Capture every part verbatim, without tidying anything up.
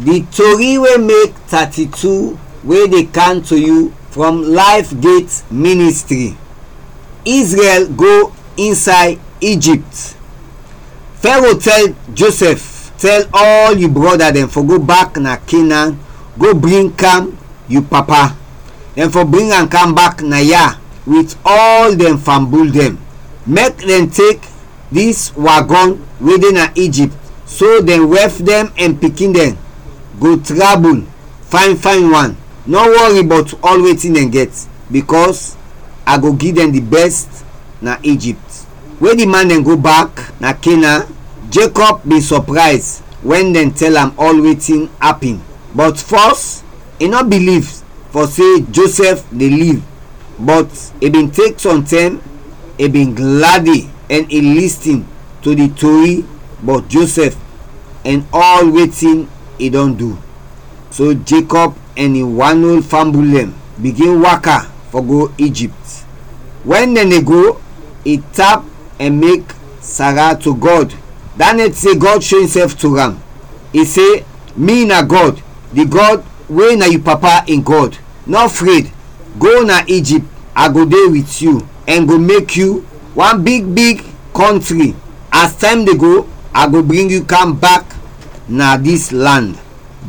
Di tori wey mek thirty-two wey dey kam to yu from Life Gate Ministry. Israel go inside Egypt. Pharaoh tell Joseph, "Tell all yu brɔda dɛn fɔ go bak na Canaan, go bring kam yu papa. Dɛn fɔ bring am kam bak na ya wit ɔl dɛn fambul dɛn. Mek dɛn tek dis wagɔn we de na Egypt, so dɛn wɛf dɛn ɛn pikin dɛn go trabul fayn fayn wan. Nɔ wɔri bɔt ɔl wetin dɛn gɛt, bikɔs a go gi dɛn di bɛst na Egypt." We di man dɛn go bak na Canaan, Jacob bin sɔprayz wɛn dɛn tɛl am ɔl wetin apin. Bɔt fɔs, i nɔ biliv fɔ se Joseph de liv, bɔt i bin tek sɔntɛm, i bin gladi ɛn i listin to di tori bɔt Joseph ɛn ɔl wetin i dɔn du. So Jacob ɛn in wan ol fambul dɛn bigin waka fɔ go Egypt. Wɛn dɛn de go, i tap ɛn mek Sarah to Gɔd. Da nɛt se Gɔd sho insɛf to am. I se, "Mi na Gɔd, di Gɔd we na yu papa in Gɔd. Nɔ fred, go na Egypt, a go de wit yu ɛn go mek yu wan big big kɔntri. As tɛm de go, a go bring yu kam bak na dis lan."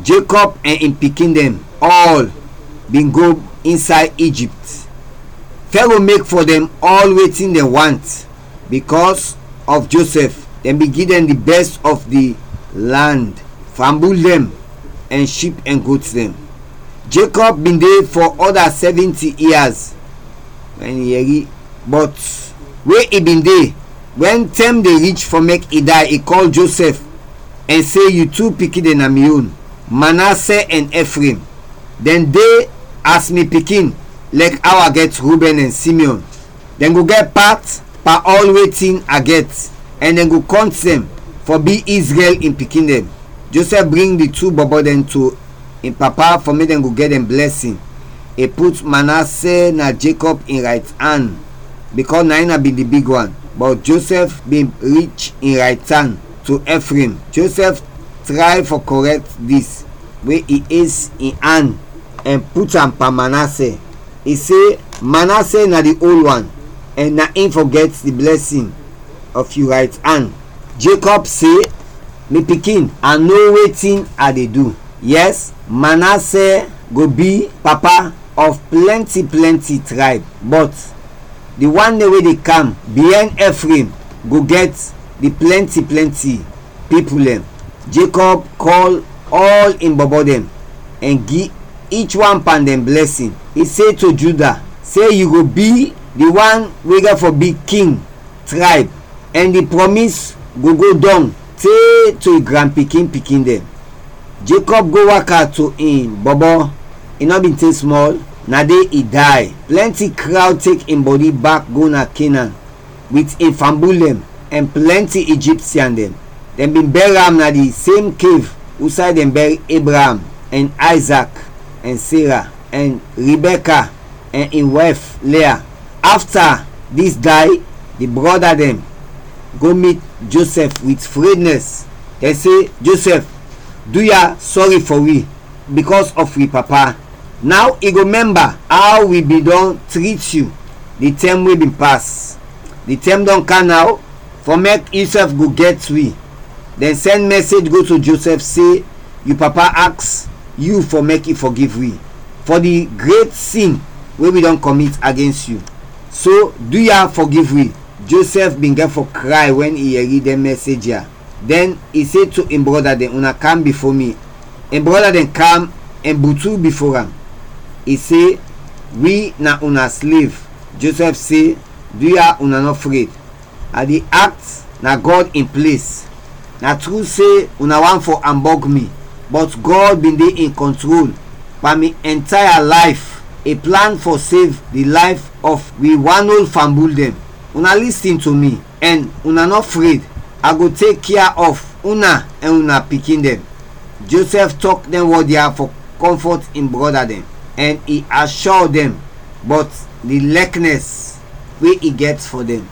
Jacob ɛn in pikin dɛn ɔl bin go insay Egypt. Pharaoh mek fɔ dɛn ɔl wetin dɛn want. Bikɔs ɔf Josɛf, dɛn bin gi dɛn di bɛs ɔf di lan, fambul dɛn, ɛn ship ɛn got dɛn. Jacob bin de fɔ ɔda sɛvɛnti ia, wɛn i yɛri, bɔt we i bin de, wɛn tɛm de rich fɔ mek i day, i kɔl Josɛf ɛn se, "Yu tu pikin dɛn na mi yon, Manase ɛn Efraim. Dɛn de as mi pikin, lɛk aw a gɛt Ruben ɛn Simeon. Dɛn go gɛt pat pan ɔl wetin a gɛt, ɛn dɛn go kɔnt dɛn fɔ bi Izrɛl in pikin dɛn." Josɛf bring di tu bɔbɔ dɛn to in papa fɔ mek dɛn go gɛt dɛn blɛsin. I put Manase na Jacob in raytan, bikɔs na in na bin di big wan, bɔt Josɛf bin rich in raytan to Efraim. Josɛf tray fɔ kɔrɛkt dis, we i es in an ɛn put am pan Manase. I se, "Manase na di ol wan, ɛn na in fɔ gɛt di blɛsin ɔf yu raytan." Jacob se, "Mi pikin, a no wetin a de du. Yɛs, Manase go bi papa ɔf plɛnti plɛnti trayb, bɔt di wan dɛn we de kam biɛn Efraim go gɛt di plɛnti plɛnti pipul dɛn." Jacob kɔl ɔl in bɔbɔ dɛn ɛn gi ich wan pan dɛn blɛsin. I se to Juda se, "Yu go bi di wan we gɛt fɔ bi king trayb, ɛn di prɔmis go go dɔng te to yu granpikin-pikin dɛn." Jacob go waka to in bɔbɔ, i nɔ bin te smɔl, na de i day. Plɛnti krawd tek in bɔdi bak go na Kenan, wit in fambul dɛn ɛn plɛnti Ijiptian dɛn. Dɛn bin bɛr am na di sem kev usay dɛn bɛr Ebraam ɛn Ayzak ɛn Sera ɛn Ribɛka ɛn in wɛf Lea. Afta dis day, di brɔda dɛn go mit Josɛf wit frednɛs. Dɛn se, "Josɛf, du ya sɔri fɔ wi bikɔs ɔf wi papa. Naw i go mɛmba aw wi bin dɔn trit yu di tɛm we bin pas. Di tɛm dɔn kam naw fɔ mek yusɛf go gɛt wi." Dɛn sɛn mɛsej go to Josɛf se, "Yu papa aks yu fɔ mek i fɔgiv wi fɔ di gret sin we wi dɔn kɔmit agens yu. So, du ya fɔgiv wi." Josɛf bin gɛt fɔ kray wɛn i yɛri dɛn mɛsej ya. Dɛn i se to in brɔda dɛn, "Una kam bifo mi." In brɔda dɛn kam ɛn butu bifo am. I se, "Wi na una slev." Josɛf se, "Du ya, una nɔ fred. A de akt na Gɔd in ples. Na tru se una want fɔ ambɔg mi, bɔt Gɔd bin de in kɔntrol pan mi ɛntaya layf. I plan fɔ sev di layf ɔf wi wan ol fambul dɛn. Una listin to mi, ɛn una nɔ fred. A go tek kea ɔf una ɛn una pikin dɛn." Josɛf tɔk dɛn wɔd ya fɔ kɔmfɔt in brɔda dɛn, ɛn i ashɔ dɛn bɔt di lɛknɛs we i gɛt fɔ dɛn.